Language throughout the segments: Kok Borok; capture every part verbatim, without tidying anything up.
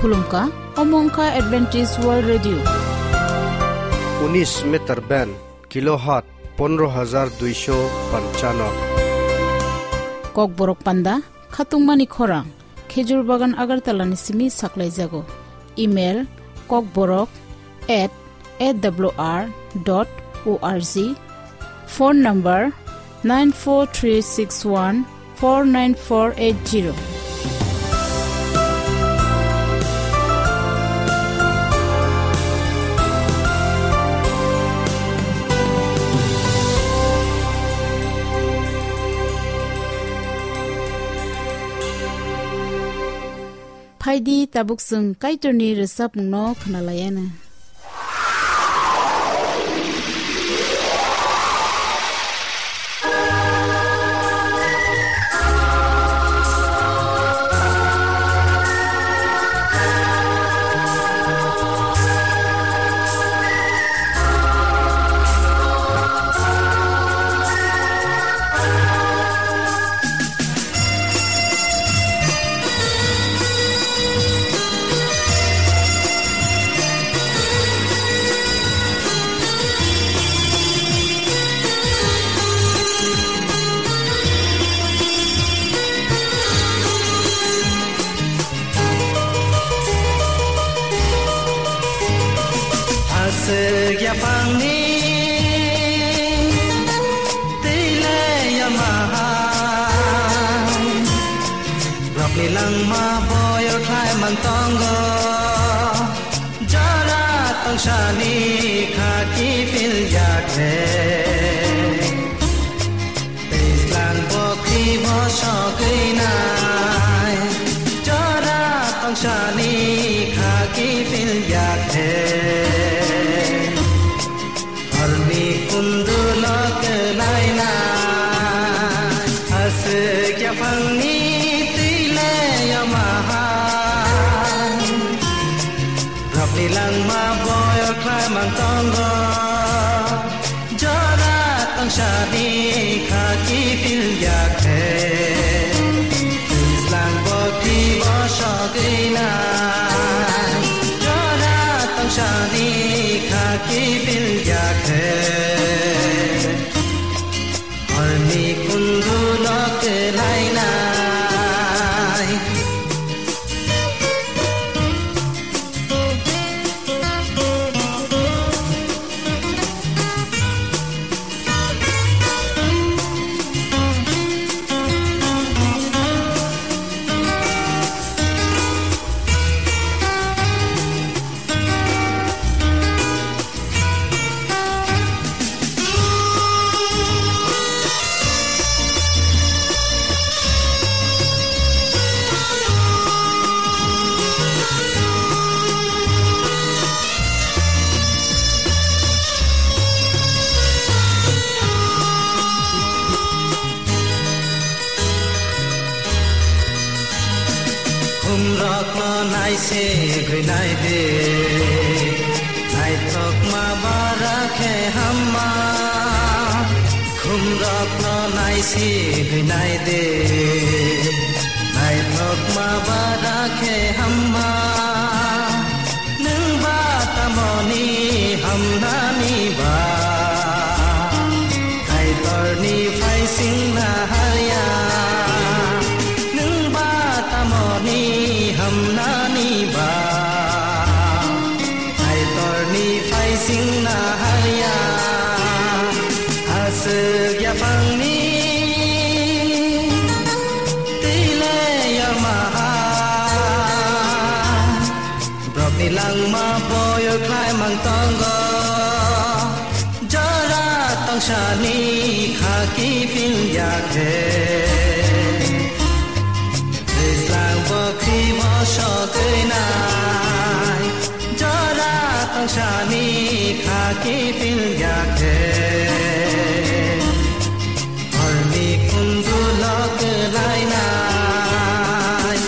Khulumkha, omo wngkha Adventist World Radio. Unis meter band, kilohertz pondro hajar duisho panchano. Kokborok panda, khatungmani khorang, Khejur Bagan Agartala ni simi saklaijago. Email, kokborok at A W R dot O R G. Phone number, nine four three six one four nine four eight zero. Phaidi, tabuk chwng Kaitorni rwchapmungno khwnalaianw. Aswk yaphangni twi le yama hai, rokni langma boyo khlai mang tongo, jora tongsani kha kiphil ya khe. Twijlang bokri bo sogwi nai, jora tongsani kha kiphil ya khe. Horni kundulo kwlai nai, aswk yaphangni twi le yama hai. Rokni langma boyo khlai mang tongo, jora tongsani kha kiphil ya khe. Twijlang bokri bo sogwi nai, jora tongsani kha kiphil ya khe. Horni kundulo kwlai nai. Khumrokno naisik gwi nai di, naithokma bara khe hamma. Khumrokno naisik gwi nai di, naithokma bara khe hamma. Nwng ba tamoni hamnani ba? Kaitorni phaisingna harya. Nwng ba tamoni hamnani ba? Kaitorni phaisingna harya. Aswk yaphangni twi le yama hai. Borokni langma boyo khlai mang tongo, jora tongsani kha kiphil ya khe. Twijlang bokri bo sogwi nai, jora tongsani kha kiphil ya khe. Horni kundulo kwlai nai.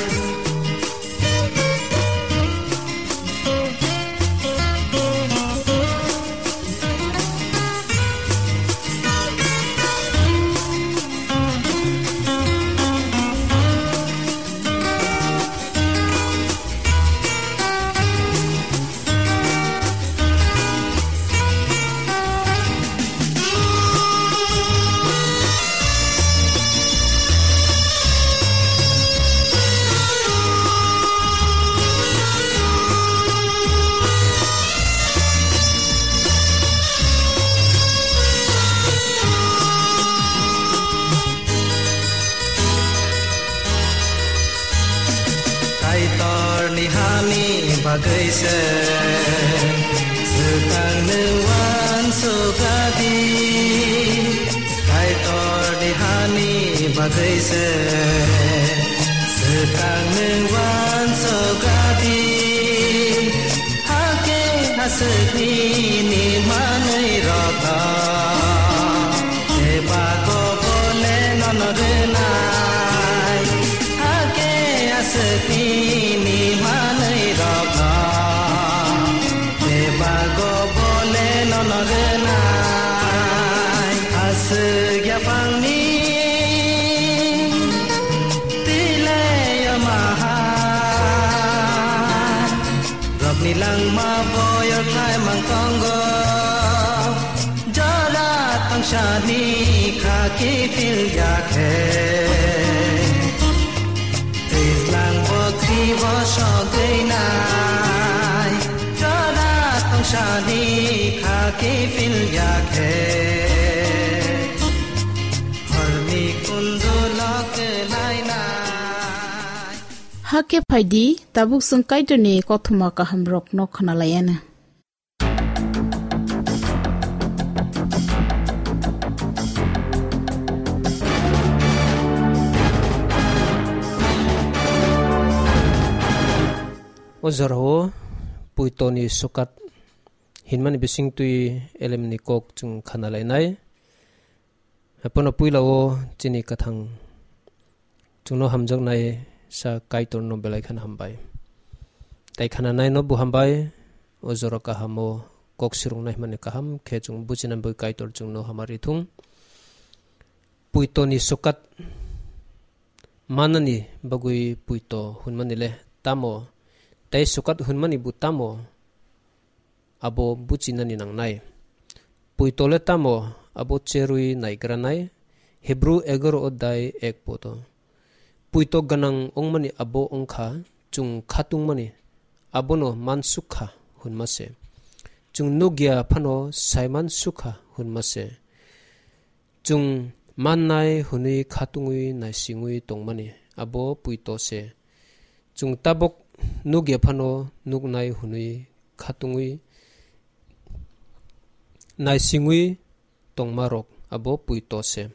Bagwi se swkang nwng uansukha di, Kaitorni hani bagwi se swkang nwng uansukha di, hakhe aswkni ni manwirokno bebak o bole nono rwnai. Hakhe aswkni ni manwirokno bebak o bole nono rwnai. Aswk yaphangni twi le yamaha, rokni langma boyor khlai mang tongo. Jora tangsani kha kiphil ya khe, Twijlang bo twi bo sogwi nai. Jora tangsani kha kiphil ya khe, horni kundu lok lai nai. Hakhe phaidi, tabuk chwng Kaitorni kothoma kahamrokno khwnalaiana. O jorao puitoni sokat hinmani bisingtwi elemni kok chwng khana lainai. Haiphano puila o chini kwthang chwngno hamjaknai sa Kaitorno belai kheno hambai. Tai khananaino bo hambai, o jora kahamo kok swrwngnai hwnmani kaham khe chwng buchinani bagwi Kaitor chwngno hamari thung. Puitoni sokat manani bagwi puito hwnmani le tamo, tei sokat hwnmani bo tamo? Abo buchinani nangnai. Puito le tamo abo cherwi naigranai, Hebru egaro odai ek podo. Puito gwnang wngmani abo wngkha chwng khatungmani, abono mansukha hwnma se. Chwng nukya phano saimansukha hwnma se. Chwng mannai hwnwi khatungwi naisingwi tongmani abo puito se. Chwng tabok nukya phano nuknai hwnwi khatungwi naisingwi tongmarok abo puito se.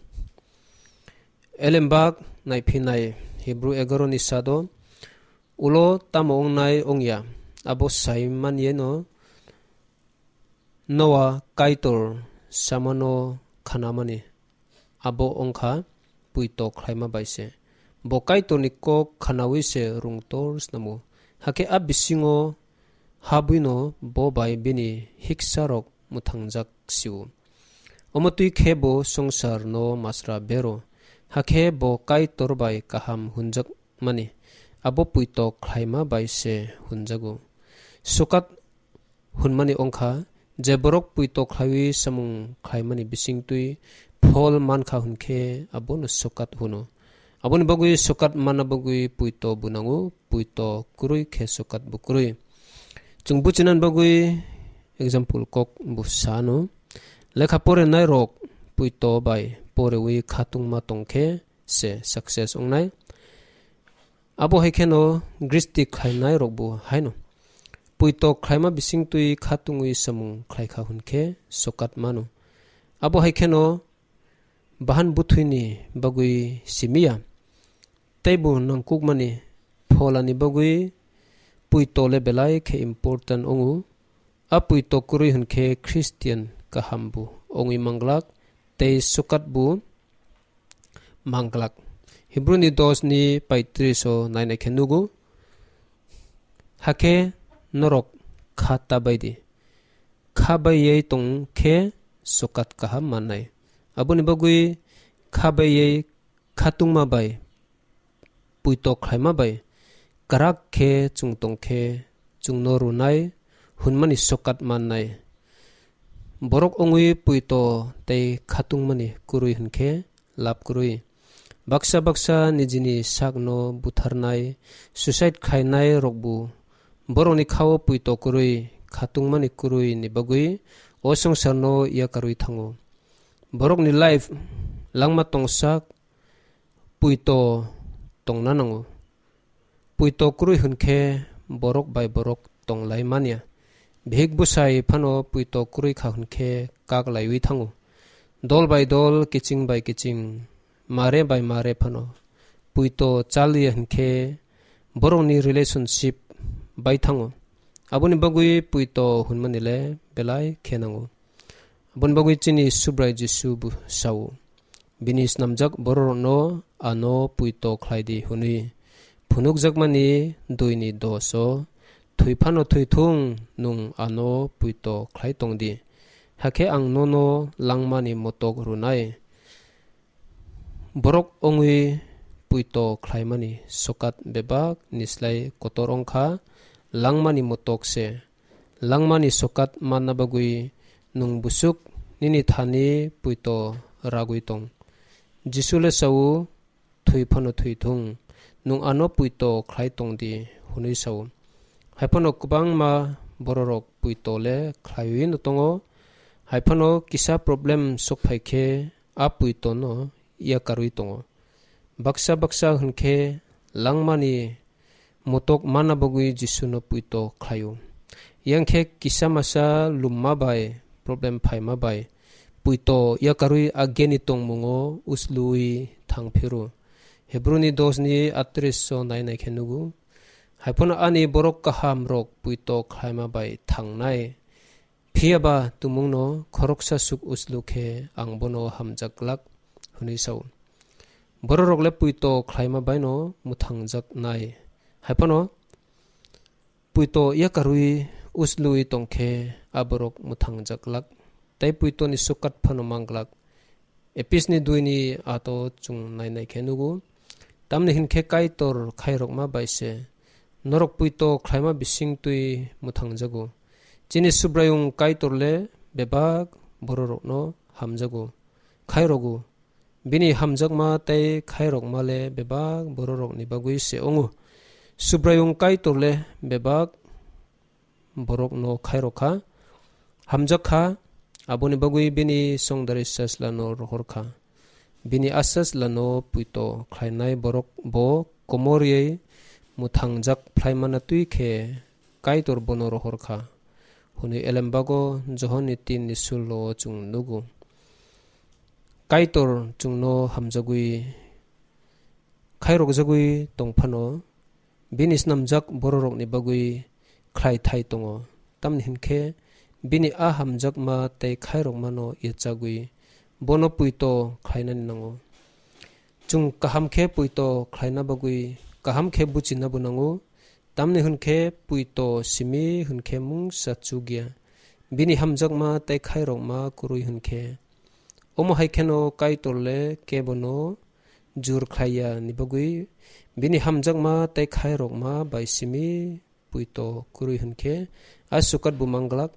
Elembak naiphinai Hebru egaro ni sado ulo tamo wngnai wngya abo sai manyeno Noa Kaitor samano khanamani abo wngkha puito khlaima bai se. Bo Kaitorni kok khanawi se rwngtor snamo. Hakhe a bisingo habwino bo bai bini hiksarok mwthangjak sio. Omo twi khe bo swngcharno masra bero. Hakhe bo Kaitor bai kaham hwnjakmani abo puito khlaima bai se hwnjago. Sokat hwnmani wngkha, je borok puito khlaiwi samung khlaimani bisingtwi phol mankha hwnkhe abono sokat hwno. Aboni bagwi sokat manna bagwi puito bo nango, puito kwrwi khe sokat bo kwrwi. Chwng buchinani bagwi example kok bo sano. Lekha porenai rok puito bai porewi khatungma tongkhe se success wngnai. Abo hai kheno gristi khlainai rokbo haino. Puito khlaima bisingtwi khatungwi samung khlaikha hwnkhe sokat mano. Abo hai kheno bahan bwthwini bagwi simiya, teibo nangkukmani pholani bagwi puito le belai khe important wngo. A puito kwrwi hwnkhe Christian kaham bo wngwi manglak tei sokat bo manglak. Hebru ni dos ni paitris o nainai khe nugo, hakhe norok kha ta bai di. Kha bai yei tong khe sokat kaham mannai. Aboni bagwi kha bai yei khatungma bai puito khlaima bai kwrak khe chwng tong khe chwngno rwnai hwnmani sokat mannai. Borok wngwi puito tei khatungmani kwrwi hwnkhe lab kwrwi. Baksa baksa nijini sakno butharnai, suicide khainai rokbo borokni khao puito kwrwi, khatungmani kwrwi ni bagwi o swngcharno yakarwi thango. Borokni life langma tongsak puito tongna nango. Puito kwrwi hwnkhe borok bai borok tong lai man ya. Bihik bwsai phano puito kwrwi kha hwn khe kak laiwi thango. Dol bai dol, kiching bai kiching, mare bai mare phano puito chal ya hwn khe borokni relationship bai thango. Aboni bagwi puito hwnmani le belai khe nango. Aboni bagwi chini Subrai Jisu bo sao, bini snamjak bororokno ano puito khlai di hwnwi. Phunukjakmani dui ni dos o, "Thwi phano thwi thung, nwng ano puito khlai tong di, hakhe ang nono langmani motok rwnai." Borok wngwi puito khlaimani sokat bebak ni slai kotor wng kha, langmani motok se. Langmani sokat manna bagwi nwng busuk nini thani puito ragwi tong. Jisu le sao, "Thwi phano thwi thung, nwng ano puito khlai tong di," hwnwi sao. Hai phano kwbangma bororok puito le khlaiwi no tongo. Hai phano kisa problem sok phai khe a puito no yakarwi tongo. Baksa baksa hwn khe langmani motok manna bagwi Jisu no puito khlaio. Yang khe kisa masa lumma bai, problem phaima bai puito yakarwi a geni tongmungo uslui thang phiro. Hebru ni dos ni atris o nai nai khe nugo. Hai phano ani borok kaham rok puito khlaima bai thangnai. Phiya ba tumungno khoroksa suk uslu khe ang bono hamjak glak, hwnwi sao. Bororok le puito khlaima baino mwthangjak nai. Hai phano puito yakarwi uslui tong khe a borok mwthangjak glak, tei puitoni sokat phano mang glak. Epis ni dui ni ato chwng nai nai khe nugo. Tamni hwn khe Kaitor khairokma bai se norok puito khlaima bising twi mwthangjago. Chini Subraiyung Kaitor le bebak bororokno hamjago, khairogo. Bini hamjakma tei khairokma le bebak bororokni bagwi se wngo. Subraiyung Kaitor le bebak borokno khairok kha, hamjak kha, aboni bagwi bini songdari sajlano rohor kha. Bini a sajlano puito khlainai borok bo komorwi mwthangjak phlaimana twi khe Kaitor bono rohor kha, hwnwi elembago Johonni tin ni sullo o chwng nugo. Kaitor chwngno hamjagwi khairokjagwi tong phano, bini snamjak bororokni bagwi khlai thai tongo. Tamni hwn khe, bini a hamjakma tei khairokmano yachagwi bono puito khlainani nango. Chwng kaham khe puito khlaina bagwi kaham khe buchinabo nango. Tamni hwn khe puito simi hwn khe mungsa chuk ya. Bini hamjakma tei khairokma kwrwi hwn khe. Omo hai kheno Kaitor le kebono jur khlai ya ni bagwi bini hamjakma tei khairokma bai simi puito kwrwi hwn khe a sukat bo mang glak.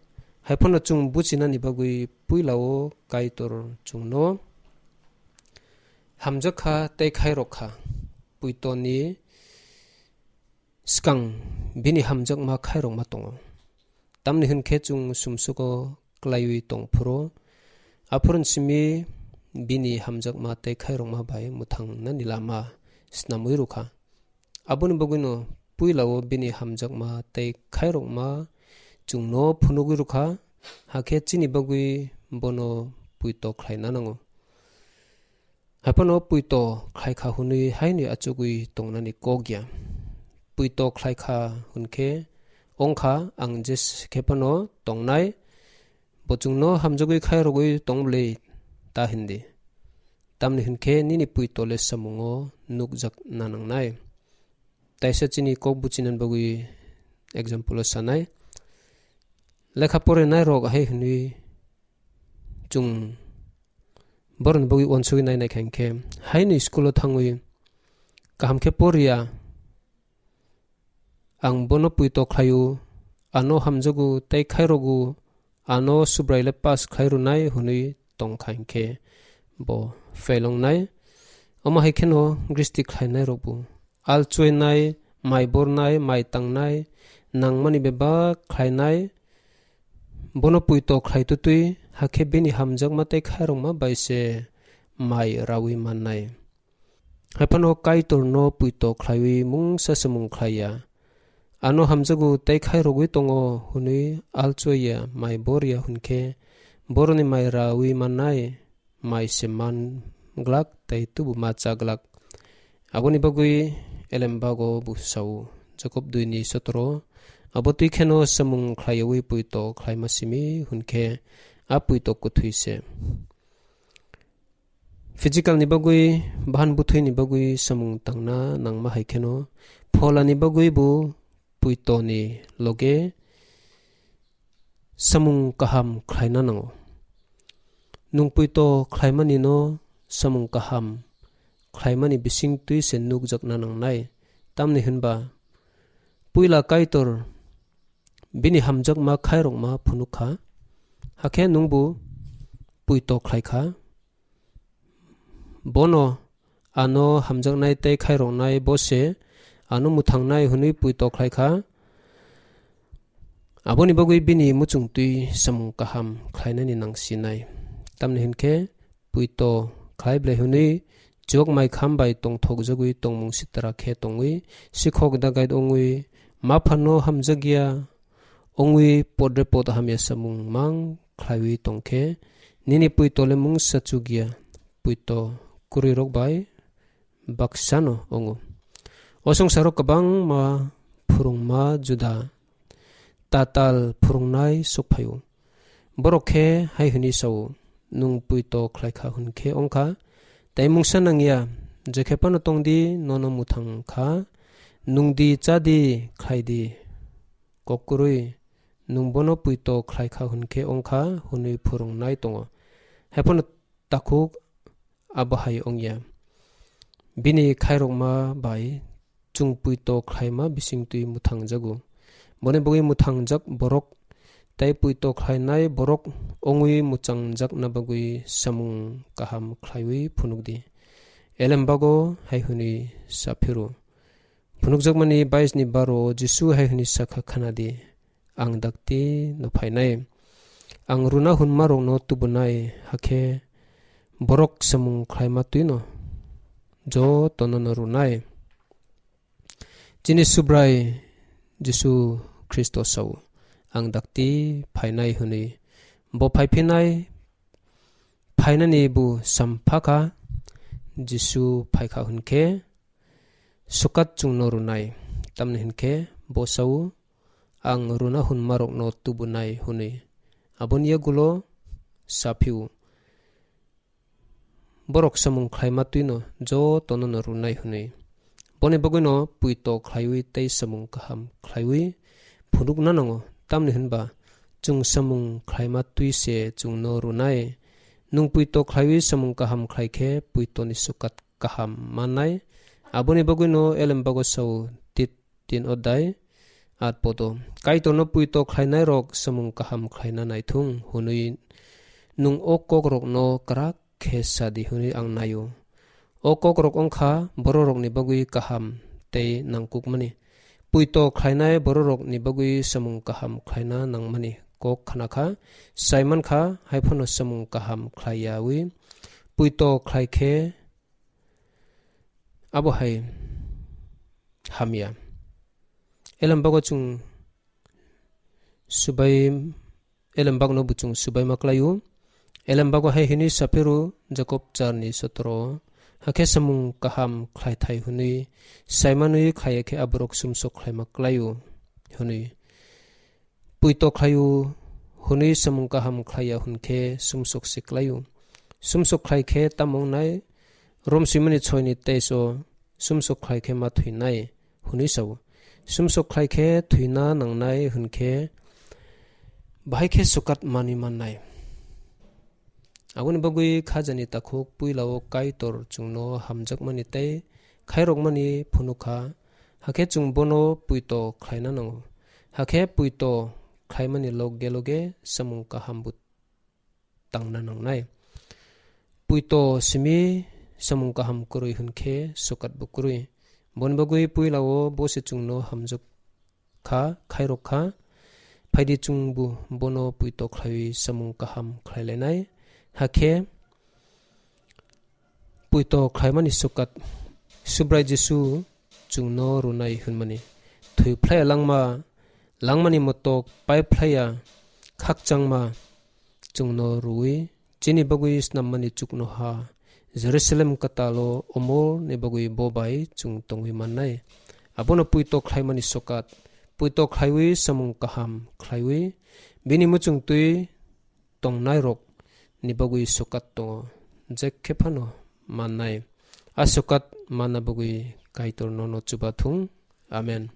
Hai phano chwng buchinani bagwi puila o Kaitor chwngno hamjak kha tei khairok kha. Puitoni swkang bini hamjakma khairokma tongo. Tamni hwn khe chwng sumsugo klaiwi tong phuru, aphuru simi bini hamjakma tei khairokma bai mwthangnani lama snamwi rw kha. Aboni bagwino puila o bini hamjakma tei khairokma chwngno phunugwi rw kha, hakhe chini bagwi bono puito khlaina nango. Hai phano puito khlai kha hwnwi haino achugwi tongnani kok ya. Puito khlai kha hwn khe wng kha, ang jesa khe phano tongnai, bo chwngno hamjagwi khairogwi tong bwlwi ta hindi. Tamni hwn khe nini puito le samungo nukjak na nangnai. Taisa chini kok buchinani bagwi example o sanai. Lekha porinai rok hai hwnwi chwng borokni bagwi uansugwi nai nai kha hinkhe, haino school o thangwi kaham khe poriya, ang bono puito khlaio, ano hamjago tei khairogo, ano Subrai le pass khlai rwnai hwnwi tong kha hinkhe bo fail wngnai. Omo hai kheno gristi khlainai rokbo al chuinai, mai bornai, mai tangnai, nangmani bebak khlainai, bono puito khlai tutwi, hakhe bini hamjakma tei khairokma bai se mai raui mannai. Hai phano Kaitorno puito khlaiwi mungsa samung khlai ya. ano hamjago tei khairogwi tongo hwnwi alchoya mai bor ya hwn khe, boroni mai raui mannai mai se man glak tei tubu ma cha glak. Aboni bagwi elembago bo sao, Jakob dui ni sotoro, abo twi kheno samung khlaiwi puito khlaima simi hwn khe a puito kwthwi se. Physical ni bagwi, bahan bwthwi ni bagwi samung tangna nangma hai kheno, phola ni bagwi bo puito ni loge samung kaham khlaina nango. Nwng puito khlaimani no samung kaham khlaimani bising twi se nukjakna nangnai. Tamni hwnba puila Kaitor bini hamjakma khairokma phunuk kha, hakhe nwngbo puito khlai kha. Bono ano hamjaknai tei khairoknai bo se ano mwthangnai hwnwi puito khlai kha. Aboni bagwi bini muchung twi samung kaham khlainani nang sinai. Tamni hwn khe puito khlai ble hwnwi chok mai kham bai tongthok jagwi tongmung sitra khe tongwi sikhok dagait ongwi ma phano hamjakya ongwi podre pod hamya samung mang khlaiwi tong khe nini puito le mungsa chukya puito kwrwi rok bai baksano ongo. O songsaro kwbangma phwrwngma juda tatal phwrwngnai sokphaio. Borok khe hai hwnwi sao, "Nwng puito khlai kha hwn khe wng kha, tei mungsa nangya, je khe phano tong di, nono mwthang kha, nung di, cha di, khlai di." Kok kwrwi, "Nwng bono puito khlai kha hwn khe wng kha," hwnwi phwrwngnai tongo. Hai phano takhuk abo hai wngya. Bini khairokma bai chwng puito khlaima bisingtwi mwthangjago. Boni bagwi mwthangjak borok tei puito khlainai borok wngwi mwchangjakna bagwi samung kaham khlaiwi phunukdi. Elembago hai hwnwi sa phiro. Phunukjakmani bais ni baro Jisu hai hwnwi sakha, "Khnadi, ang dakti no phainai. Ang runa hwnma rokno tubunai, hakhe borok samung khlaima twino jotono no runai." Chini Subrai Jisu Khristo sao, "Ang dakti phainai," hwnwi. Bo phaiphinai, phainani bo sampha kha, Jisu phaikha hwn khe, "Sukat chwngno runai." Tamni hwn khe bo sao, "Ang runa hwnma rokno tubunai," hwnwi. Aboni yagulo sa phio, "Borok samung khlaima twino jotono no runai," hwnwi. Boni bagwino puito khlaiwi tei samung kaham khlaiwi phunukna nango. Tamni hwnba chwng samung khlaima twi se chwngno runai. Nwng puito khlaiwi samung kaham khlai khe puitoni sukat kaham mannai. Aboni bagwino elembago sao Tit tin odai at podo. Kaitorno puito khlainairok samung kaham khlaina naithung hwnwi nwng o kokrokno kwrak khe sadi hwnwi ang naio. O kokrok wngkha bororokni bagwi kaham tei nangkukmani. Puito khlainai bororokni bagwi samung kaham khlaina nangmani kok khna kha, sai man kha, hai phano samung kaham khlai yaui puito khlai khe abo hai hamya. Elembago chwng subai, elembakno bo chwng subaima klaio. Elembago hai hwnwi saphiro Jakob charni sotoro, "Hakhe samung kaham khlaithai hwnwi saimanwi khlaiya khe aborok sumsok khlaima klaio," hwnwi. Puito khlaio hwnwi samung kaham khlaiya hwn khe sumsok se klaio. Sumsok khlai khe tamo wngnai? Rom swimani choi ni teis o, "Sumsok khlai khe ma thwinai," hwnwi sao. Sumsok khlai khe thwina nangnai hwn khe bahai khe sukat manwi mannai. Aboni bagwi khajani takhuk puila o Kaitor chwngno hamjakmani tei khairokmani phunuk kha, hakhe chwng bono puito khlaina nango. Hakhe puito khlaimani loge loge samung kaham bo tangna nangnai. Puito simi samung kaham kwrwi hwn khe sukat bo kwrwi. Boni bagwi puila o bo se chwngno hamjak kha, khairok kha. Phaidi chwngbo bono puito khlaiwi samung kaham khlai lainai. Hakhe puito khlaimani sukat Subrai Jisu chwngno rwnai hwnmani. thwi phlaiya langma, langmani motok pai phlaiya khakchangma chwngno rwui chini bagwi snammani chuknoha Jerusalem kwtalo omorni bagwi bo bai chwng tongwi mannai. Abono puito khlaimani sokat, puito khlaiwi samung kaham khlaiwi bini muchungtwi tongnairokni bagwi sokat tongo, je khe phano mannai. A sokat manna bagwi Kaitor nono chubathung. Amen.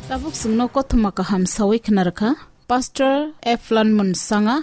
Tabuk chwngno kothoma kaham sawi khna rwkha Pastor Eflan Munsanga.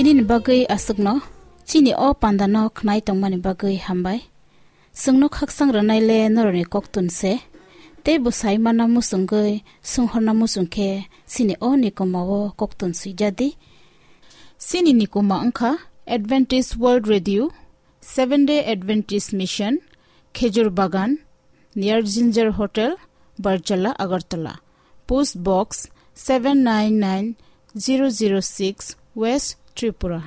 Nini bagwi aswkno chini o pandano khnai tongmani bagwi hambai. Chwngno khaksang rwnaile norokni koktun se. Tei bo sai mana muchungwi, swnghorna muchung khe chini o nikoma o koktun swijadi. Chini nikoma wngkha Adventist World Radio, Seventh Day Adventist Mission, Khejur Bagan, near Ginger Hotel, Barjala, Agartala. Post Box seven nine nine zero zero six, West Tripura.